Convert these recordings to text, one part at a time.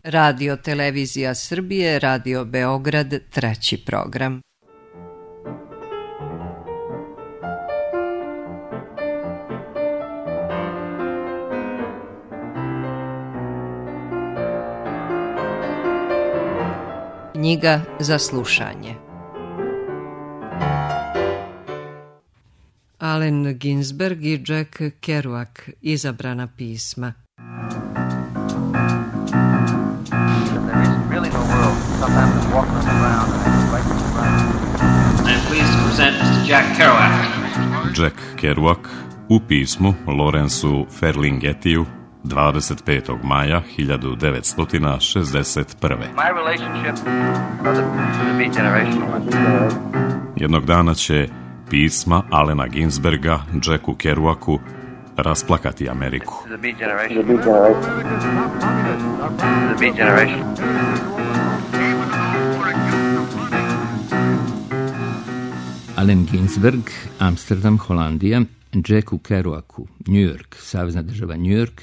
Radio Televizija Srbije, Radio Beograd, treći program. Knjiga za slušanje. Allen Ginsberg i Jack Kerouac, izabrana pisma. Jack Kerouac u pismu Lawrenceu Ferlinghettiju 25. maja 1961. Jednog dana će pisma Allena Ginsberga Jacku Kerouacu rasplakati Ameriku. Allen Ginsberg, Amsterdam, Holandija, Jacku Kerouacu, New York, Savezna država New York,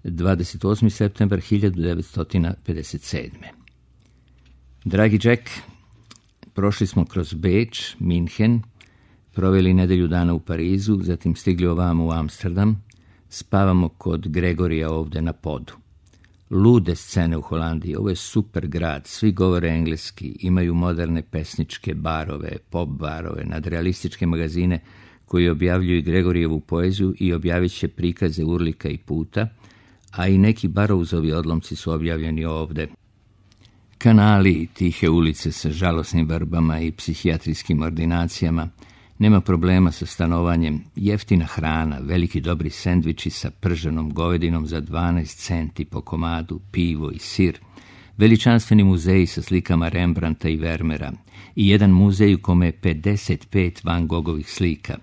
28. septembar 1957. Dragi Jack, prošli smo kroz Beč, Minhen, proveli nedelju dana u Parizu, zatim stigli ovamo u Amsterdam, spavamo kod Gregorija ovde na podu. Lude scene u Holandiji, ovo je super grad, svi govore engleski, imaju moderne pesničke barove, pop barove, nadrealističke magazine koji objavljuju Gregorijevu poeziju i objavit će prikaze Urlika i Puta, a i neki Barrouzovi odlomci su objavljeni ovde. Kanali, tihe ulice sa žalosnim vrbama i psihijatrijskim ordinacijama, nema problema sa stanovanjem, jeftina hrana, veliki dobri sendviči sa prženom govedinom za 12 centi po komadu, pivo i sir, veličanstveni muzeji sa slikama Rembrandta i Vermeera i jedan muzej u kome je 55 Van Gogovih slika,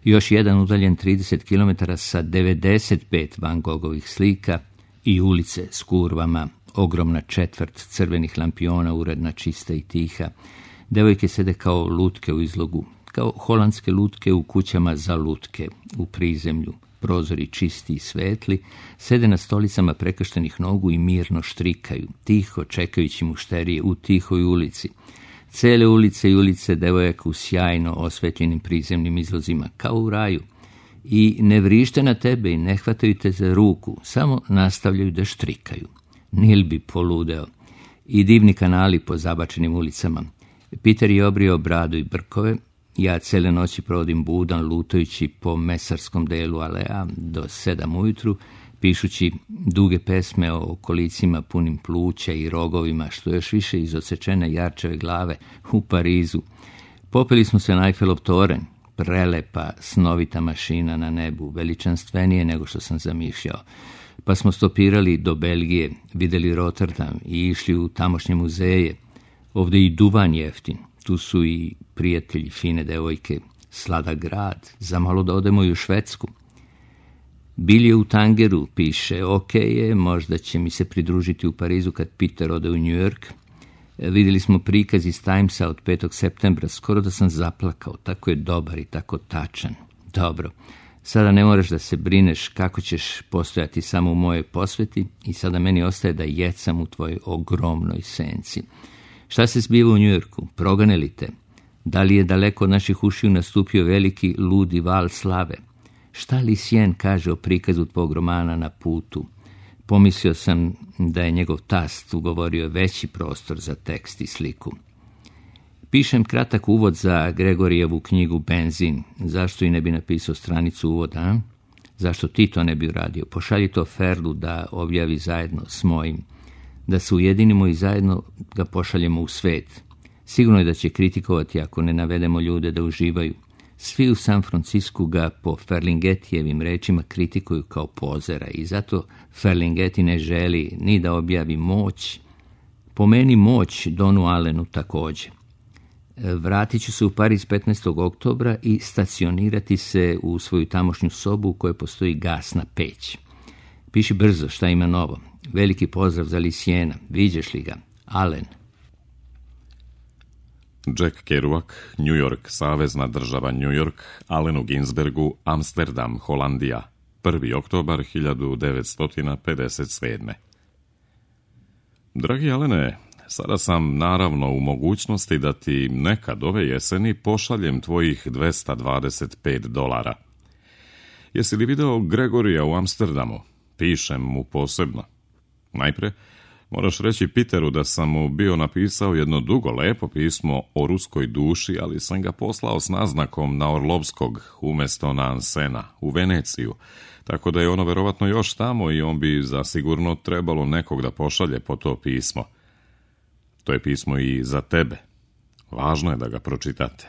još jedan udaljen 30 km sa 95 Van Gogovih slika i ulice s kurvama, ogromna četvrt crvenih lampiona, uredna, čista i tiha. Devojke sede kao lutke u izlogu, kao holandske lutke u kućama za lutke, u prizemlju, prozori čisti i svetli, sede na stolicama prekrštenih nogu i mirno štrikaju, tiho čekajući mušterije u tihoj ulici. Cele ulice i ulice devojaka u sjajno osvetljenim prizemnim izlozima, kao u raju. I ne vrište na tebe i ne hvataju te za ruku, samo nastavljaju da štrikaju. Nil bi poludeo. I divni kanali po zabačenim ulicama. Peter je obrio bradu i brkove, ja cele noći provodim budan lutajući po mesarskom delu alea do 7 ujutru, pišući duge pesme o kolicima punim pluća i rogovima, što još više iz odsečene jarčeve glave u Parizu. Popeli smo se na Eiffelov toren, prelepa, snovita mašina na nebu, veličanstvenije nego što sam zamišljao. Pa smo stopirali do Belgije, videli Rotterdam i išli u tamošnje muzeje. Ovde i duvan jeftin, tu su i prijatelji, fine devojke, sladak grad, zamalo da odemo i u Švedsku. Bil je u Tangeru, piše, ok je, možda će mi se pridružiti u Parizu kad Peter ode u New York. Vidjeli smo prikaz iz Timesa od 5. septembra, skoro da sam zaplakao, tako je dobar i tako tačan. Dobro, sada ne moraš da se brineš kako ćeš postojati samo u mojoj posveti i sada meni ostaje da jecam u tvojoj ogromnoj senci. Šta se zbiva u Njujorku? Progane li te? Da li je daleko od naših ušiju nastupio veliki ludi val slave? Šta Lucien kaže o prikazu tvog romana Na putu? Pomislio sam da je njegov tast ugovorio veći prostor za tekst i sliku. Pišem kratak uvod za Gregorijevu knjigu Benzin. Zašto i ne bi napisao stranicu uvoda, a? Zašto ti to ne bi uradio? Pošalji to Ferlu da objavi zajedno s mojim. Da se ujedinimo i zajedno ga pošaljemo u svet. Sigurno je da će kritikovati ako ne navedemo ljude da uživaju. Svi u San Francisku ga po Ferlinghettijevim rečima kritikuju kao pozera i zato Ferlinghetti ne želi ni da objavi Moć. Po meni Moć Donu Allenu također. Vratit ću se u Pariz 15. oktobra i stacionirati se u svoju tamošnju sobu u kojoj postoji gasna peć. Piši brzo šta ima novo. Veliki pozdrav za Luciena. Viđeš li ga? Allen. Jack Kerouac, New York, Savezna država New York, Allenu Ginsbergu, Amsterdam, Holandija, 1. oktobar 1957. Dragi Alene, sada sam naravno u mogućnosti da ti nekad ove jeseni pošaljem tvojih $225. Jesi li video Gregorija u Amsterdamu? Pišem mu posebno. Najpre, moraš reći Peteru da sam mu bio napisao jedno dugo, lepo pismo o ruskoj duši, ali sam ga poslao s naznakom na Orlovskog umjesto na Ansena, u Veneciju, tako da je ono verovatno još tamo i on bi zasigurno trebalo nekog da pošalje po to pismo. To je pismo i za tebe. Važno je da ga pročitate.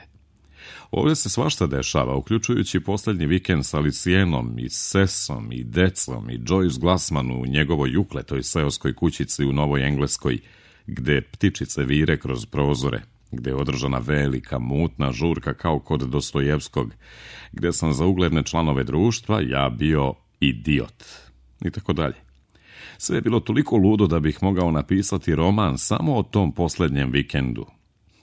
Ovdje se svašta dešava, uključujući posljednji vikend s Alicijenom i Sesom i decom i Joyce Glassman u njegovoj ukletoj seoskoj kućici u Novoj Engleskoj, gde ptičice vire kroz prozore, gde je održana velika, mutna žurka kao kod Dostojevskog, gde sam za ugledne članove društva ja bio idiot. I tako dalje. Sve je bilo toliko ludo da bih mogao napisati roman samo o tom posljednjem vikendu.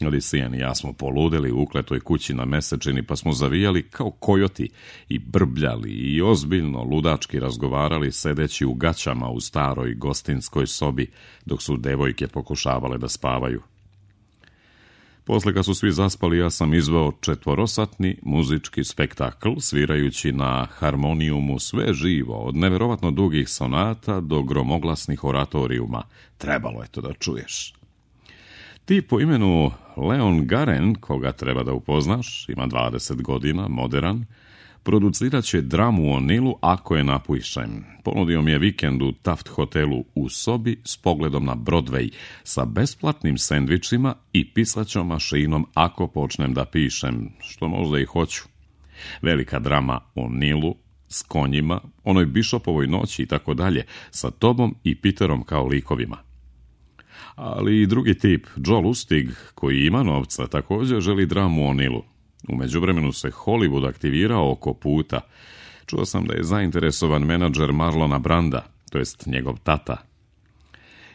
Alicijen i ja smo poludeli u ukletoj kući na mesečini, pa smo zavijali kao kojoti i brbljali i ozbiljno ludački razgovarali sedeći u gaćama u staroj gostinskoj sobi, dok su devojke pokušavale da spavaju. Posle kad su svi zaspali, ja sam izveo 4-satni muzički spektakl, svirajući na harmonijumu sve živo, od neverovatno dugih sonata do gromoglasnih oratorijuma. Trebalo je to da čuješ. Ti po imenu Leon Garen, koga treba da upoznaš, ima 20 godina, moderan, producirat će dramu o Nilu ako je napišem. Ponudio mi je vikend u Taft hotelu u sobi s pogledom na Broadway, sa besplatnim sendvičima i pisaćom mašinom ako počnem da pišem, što možda i hoću. Velika drama o Nilu, s konjima, onoj Bishopovoj noći i tako dalje, sa tobom i Peterom kao likovima. Ali i drugi tip, Joe Lustig, koji ima novca, također želi dramu o Nilu. U međuvremenu se Hollywood aktivirao oko puta. Čuo sam da je zainteresovan menadžer Marlona Branda, to jest njegov tata.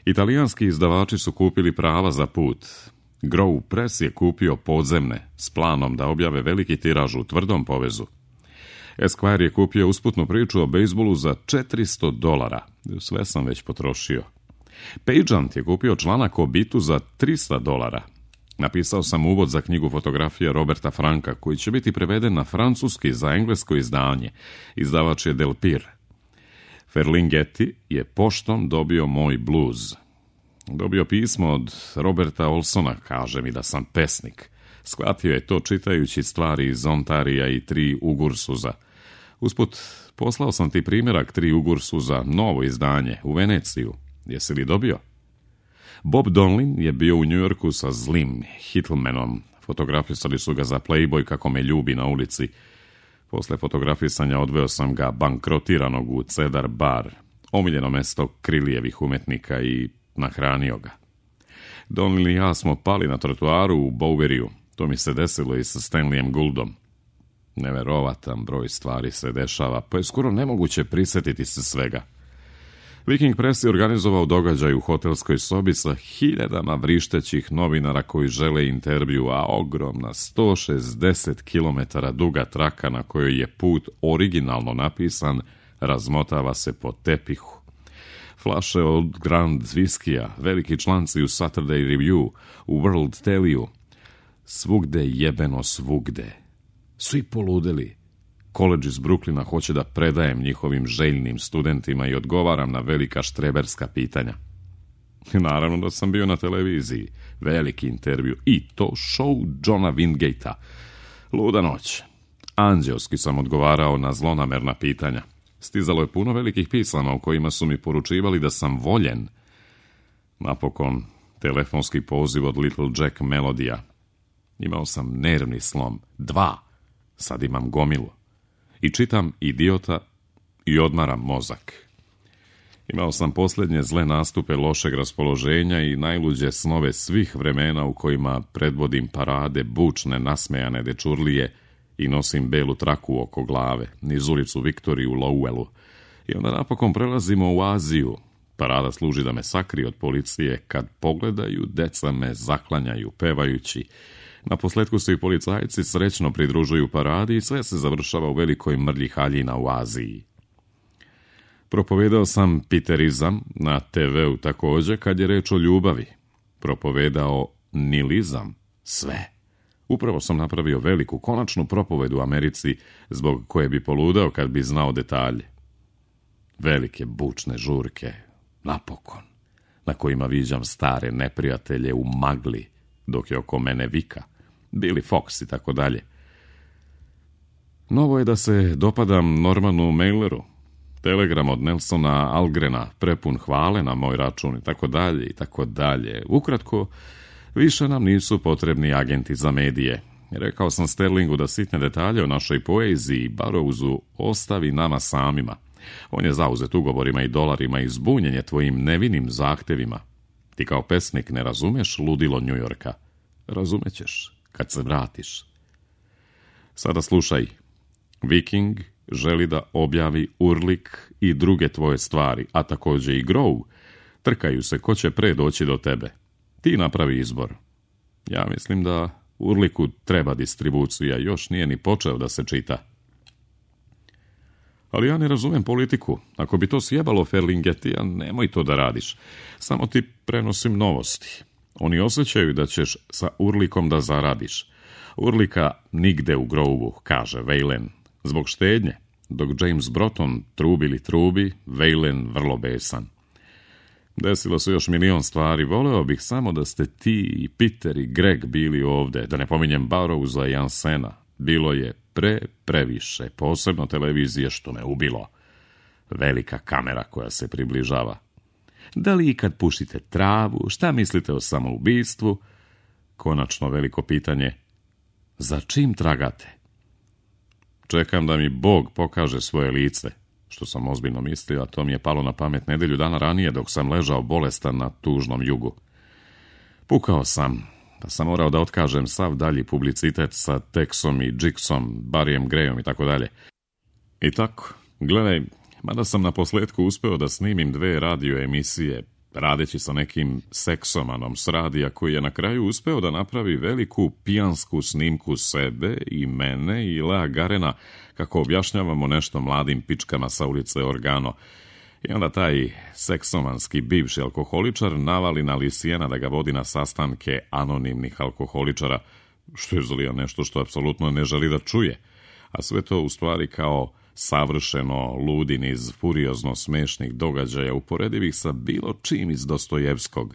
Italijanski izdavači su kupili prava za put. Grove Press je kupio podzemne, s planom da objave veliki tiraž u tvrdom povezu. Esquire je kupio usputnu priču o bejsbolu za $400. Sve sam već potrošio. Pageant je kupio članak o bitu za $300. Napisao sam uvod za knjigu fotografija Roberta Franka, koji će biti preveden na francuski za englesko izdanje. Izdavač je Delpire. Ferlinghetti je poštom dobio moj bluz. Dobio pismo od Roberta Olsona, kaže mi da sam pesnik. Shvatio je to čitajući stvari iz Ontarija i 3 Ugursuza. Usput, poslao sam ti primjerak 3 Ugursuza, novo izdanje, u Veneciju. Jesi li dobio? Bob Donlin je bio u Njujorku sa zlim Hittlemanom. Fotografisali su ga za Playboy kako me ljubi na ulici. Posle fotografisanja odveo sam ga bankrotiranog u Cedar Bar, omiljeno mesto Krilijevih umetnika, i nahranio ga. Donlin i ja smo pali na trotuaru u Boweriju. To mi se desilo i sa Stanleyem Gouldom. Neverovatan broj stvari se dešava, pa je skoro nemoguće prisjetiti se svega. Viking Press je organizovao događaj u hotelskoj sobi sa hiljadama vrištećih novinara koji žele intervju, a ogromna 160 km duga traka na kojoj je put originalno napisan razmotava se po tepihu. Flaše od Grand Viskija, veliki članci u Saturday Review, u World Telliju. Svugde jebeno svugde. Svi poludeli. College iz Brooklyna hoće da predajem njihovim željnim studentima i odgovaram na velika štreberska pitanja. Naravno da sam bio na televiziji, veliki intervju, i to show Johna Wingate-a. Luda noć. Anđelski sam odgovarao na zlonamerna pitanja. Stizalo je puno velikih pisama u kojima su mi poručivali da sam voljen. Napokon, telefonski poziv od Little Jack Melodija. Imao sam nervni slom. 2. Sad imam gomilu. I čitam Idiota i odmaram mozak. Imao sam posljednje zle nastupe lošeg raspoloženja i najluđe snove svih vremena u kojima predvodim parade bučne nasmejane dečurlije i nosim belu traku oko glave, niz ulicu Viktoriju u Lowellu. I onda napokon prelazimo u Aziju. Parada služi da me sakrije od policije, kad pogledaju, deca me zaklanjaju pevajući. Na posletku se i policajci srećno pridružuju paradi i sve se završava u velikoj mrlji haljina u Aziji. Propovedao sam piterizam na TV-u također kad je reč o ljubavi. Propovedao nilizam, sve. Upravo sam napravio veliku, konačnu propovedu u Americi, zbog koje bi poludao kad bi znao detalje. Velike bučne žurke, napokon, na kojima viđam stare neprijatelje u magli, dok je oko mene vika, Billy Fox i tako dalje. Novo je da se dopadam Normanu Maileru. Telegram od Nelsona Algrena, prepun hvale na moj račun i tako dalje i tako dalje. Ukratko, više nam nisu potrebni agenti za medije. Rekao sam Sterlingu da sitne detalje o našoj poeziji i Barrowsu ostavi nama samima. On je zauzet ugovorima i dolarima i zbunjen je tvojim nevinim zahtevima. Ti kao pesnik ne razumeš ludilo New Yorka. Razumećeš kad se vratiš. Sada slušaj. Viking želi da objavi Urlik i druge tvoje stvari, a također i Grow. Trkaju se ko će pre doći do tebe. Ti napravi izbor. Ja mislim da Urliku treba distribucija, još nije ni počeo da se čita. Ali ja ne razumem politiku. Ako bi to sjebalo Ferlinghetija, nemoj to da radiš. Samo ti prenosim novosti. Oni osjećaju da ćeš sa Urlikom da zaradiš. Urlika nigde u Grovu, kaže Whalen. Zbog štednje, dok James Broughton trubi, Whalen vrlo besan. Desilo se još milion stvari, voleo bih samo da ste ti i Peter i Greg bili ovde, da ne pominjem Barrowsa i Ansena. Bilo je previše, posebno televizije što me ubilo. Velika kamera koja se približava. Da li ikad pušite travu, šta mislite o samoubistvu? Konačno veliko pitanje, za čim tragate? Čekam da mi Bog pokaže svoje lice, što sam ozbiljno mislio, a to mi je palo na pamet nedelju dana ranije dok sam ležao bolestan na tužnom jugu. Pukao sam, pa sam morao da otkažem sav dalji publicitet sa Texom i Jigsom, Barryem Grayom i tako dalje. I tako, gledaj, mada sam na posljedku uspeo da snimim 2 radio emisije, radeći sa nekim seksomanom s radija koji je na kraju uspeo da napravi veliku pijansku snimku sebe i mene i Lea Garena kako objašnjavamo nešto mladim pičkama sa ulice Organo. I onda taj seksomanski bivši alkoholičar navali na Lisijena da ga vodi na sastanke anonimnih alkoholičara, što je zlija nešto što apsolutno ne želi da čuje. A sve to u stvari kao savršeno ludi niz furiozno smešnih događaja uporedivih sa bilo čim iz Dostojevskog.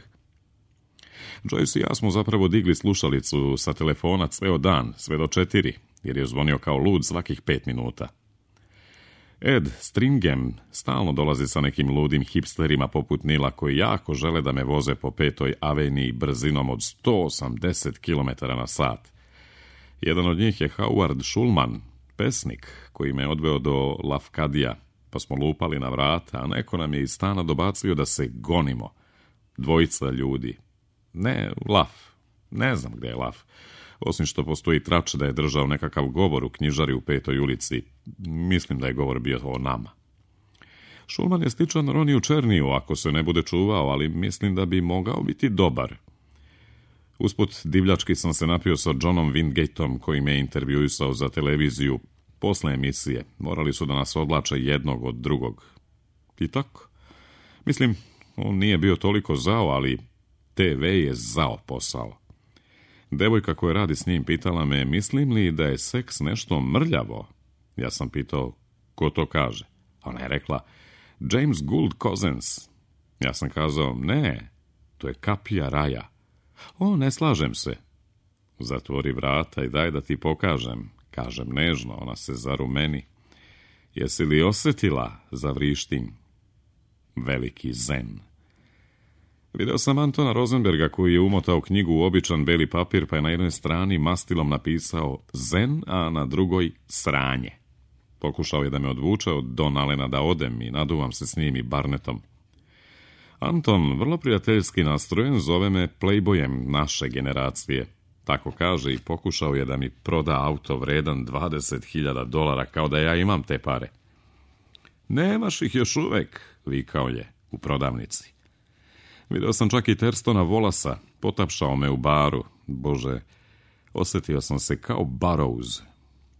Joyce i ja smo zapravo digli slušalicu sa telefona ceo dan, sve do 4, jer je zvonio kao lud svakih 5 minuta. Ed Stringham stalno dolazi sa nekim ludim hipsterima poput Nila koji jako žele da me voze po 5. aveniji brzinom od 180 km na sat. Jedan od njih je Howard Schulman, pesnik koji me odveo do Lafkadija, pa smo lupali na vrata, a neko nam je iz stana dobacio da se gonimo. 2 ljudi. Ne, Laf. Ne znam gde je Laf. Osim što postoji trač da je držao nekakav govor u knjižari u 5. ulici. Mislim da je govor bio o nama. Schulman je sličan Roniju Černiju ako se ne bude čuvao, ali mislim da bi mogao biti dobar. Usput divljački sam se napio sa Johnom Winggateom koji me intervjuisao za televiziju. Posle emisije morali su da nas odlače jednog od drugog. I tako. Mislim, on nije bio toliko zao, ali TV je zao posao. Devojka koja radi s njim pitala me, mislim li da je seks nešto mrljavo? Ja sam pitao, ko to kaže? Ona je rekla, James Gould Cousins. Ja sam kazao, ne, to je kapija raja. O, ne slažem se. Zatvori vrata i daj da ti pokažem. Kažem nežno, ona se zarumeni. Jesi li osjetila, zavrištim? Veliki zen. Video sam Antona Rosenberga koji je umotao knjigu u običan beli papir pa je na jednoj strani mastilom napisao zen, a na drugoj sranje. Pokušao je da me odvuče od Don Allena da odem i naduvam se s njim i Barnetom. Anton, vrlo prijateljski nastrojen, zove me playboyem naše generacije. Tako kaže i pokušao je da mi proda auto vredan $20,000 kao da ja imam te pare. Nemaš ih još uvek, vikao je u prodavnici. Video sam čak i Terstona Wallasa, potapšao me u baru. Bože, osjetio sam se kao Barrows.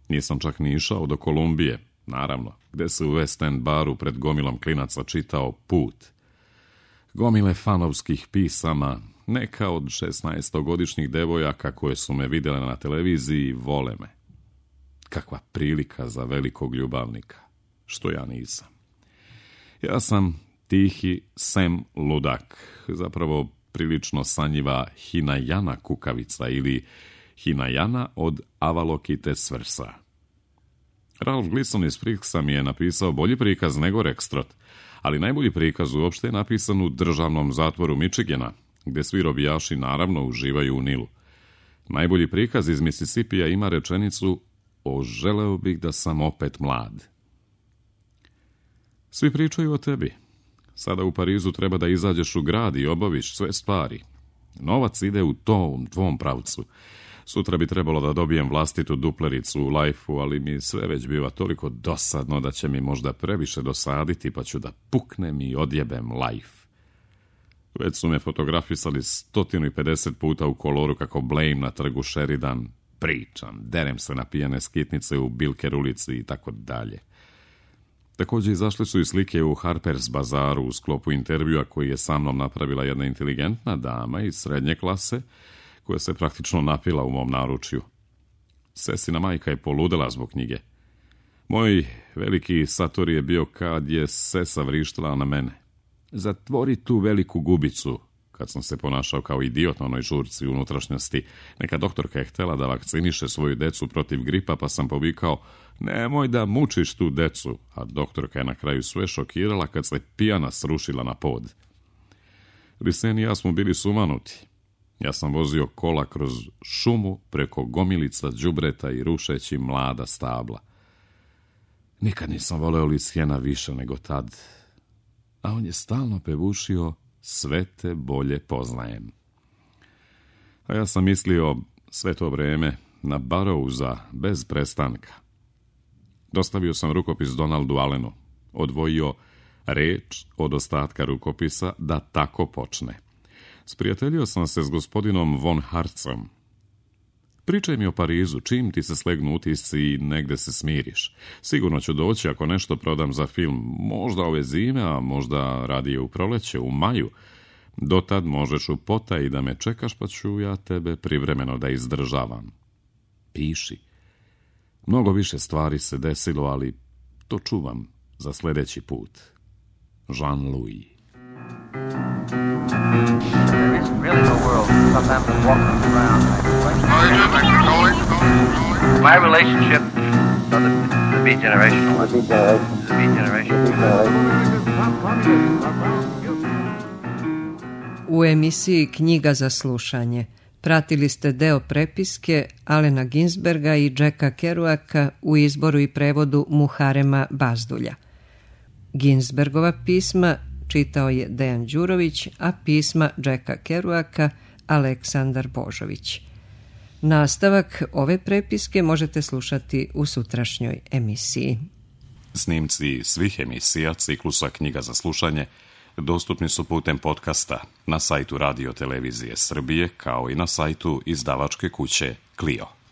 Nisam čak ni išao do Kolumbije. naravno, gde se u West End baru pred gomilom klinaca čitao Put. Gomile fanovskih pisama, neka od 16-godišnjih devojaka koje su me vidjele na televiziji vole me. Kakva prilika za velikog ljubavnika, što ja nisam. Ja sam tihi Sem ludak, zapravo prilično sanjiva Hinajana kukavica ili Hinajana od Avalokite Svrsa. Ralph Gleason iz Pricksa mi je napisao bolji prikaz nego Rextrot, ali najbolji prikaz uopšte je napisan u državnom zatvoru Michigana, gde svi robijaši naravno uživaju u Nilu. Najbolji prikaz iz Mississippija ima rečenicu "O, želeo bih da sam opet mlad." Svi pričaju o tebi. Sada u Parizu treba da izađeš u grad i obaviš sve stvari. Novac ide u tom tvom pravcu. Sutra bi trebalo da dobijem vlastitu duplericu u Life-u, ali mi sve već biva toliko dosadno da će mi možda previše dosaditi, pa ću da puknem i odjebem Life. Već su me fotografisali 150 puta u koloru kako blejim na trgu Sheridan, pričam, derem se na pijane skitnice u Bilker ulici i tako dalje. Također izašle su i slike u Harper's Bazaru u sklopu intervjua koji je sa mnom napravila jedna inteligentna dama iz srednje klase, koja se praktično napila u mom naručju. Sesina majka je poludela zbog knjige. Moj veliki sator je bio kad je sesa vrištala na mene. "Zatvori tu veliku gubicu", kad sam se ponašao kao idiot na onoj žurci unutrašnjosti. Neka doktorka je htjela da vakciniše svoju decu protiv gripa, pa sam povikao: "Nemoj da mučiš tu decu", a doktorka je na kraju sve šokirala kad se pijana srušila na pod. Risen i ja smo bili sumanuti. Ja sam vozio kola kroz šumu preko gomilica đubreta i rušeći mlada stabla. Nikad nisam voleo Lisjena više nego tad, a on je stalno pevušio "Sve te bolje poznajem". A ja sam mislio sve to vreme na Barrowsa bez prestanka. Dostavio sam rukopis Donaldu Allenu, odvojio reč od ostatka rukopisa da tako počne. Sprijateljio sam se s gospodinom von Hartzom. "Pričaj mi o Parizu, čim ti se slegnu utisci i negde se smiriš. Sigurno ću doći ako nešto prodam za film, možda ove zime, a možda radije u proleće, u maju. Dotad možeš u potaji da me čekaš, pa ću ja tebe privremeno da izdržavam. Piši. Mnogo više stvari se desilo, ali to čuvam za sljedeći put." Jean-Louis. There is really no world. Sometimes I'm walking around. My relationship to the Beat Generation. The Beat Generation. U emisiji Knjiga za slušanje pratili ste deo prepiske Allena Ginsberga i Jacka Kerouaka u izboru i prevodu Muharema Bazdulja. Ginsbergova pisma čitao je Dejan Đurović, a pisma Jacka Kerouaka Aleksandar Božović. Nastavak ove prepiske možete slušati u sutrašnjoj emisiji. Snimci svih emisija ciklusa Knjiga za slušanje dostupni su putem podcasta na sajtu Radio Televizije Srbije, kao i na sajtu izdavačke kuće Clio.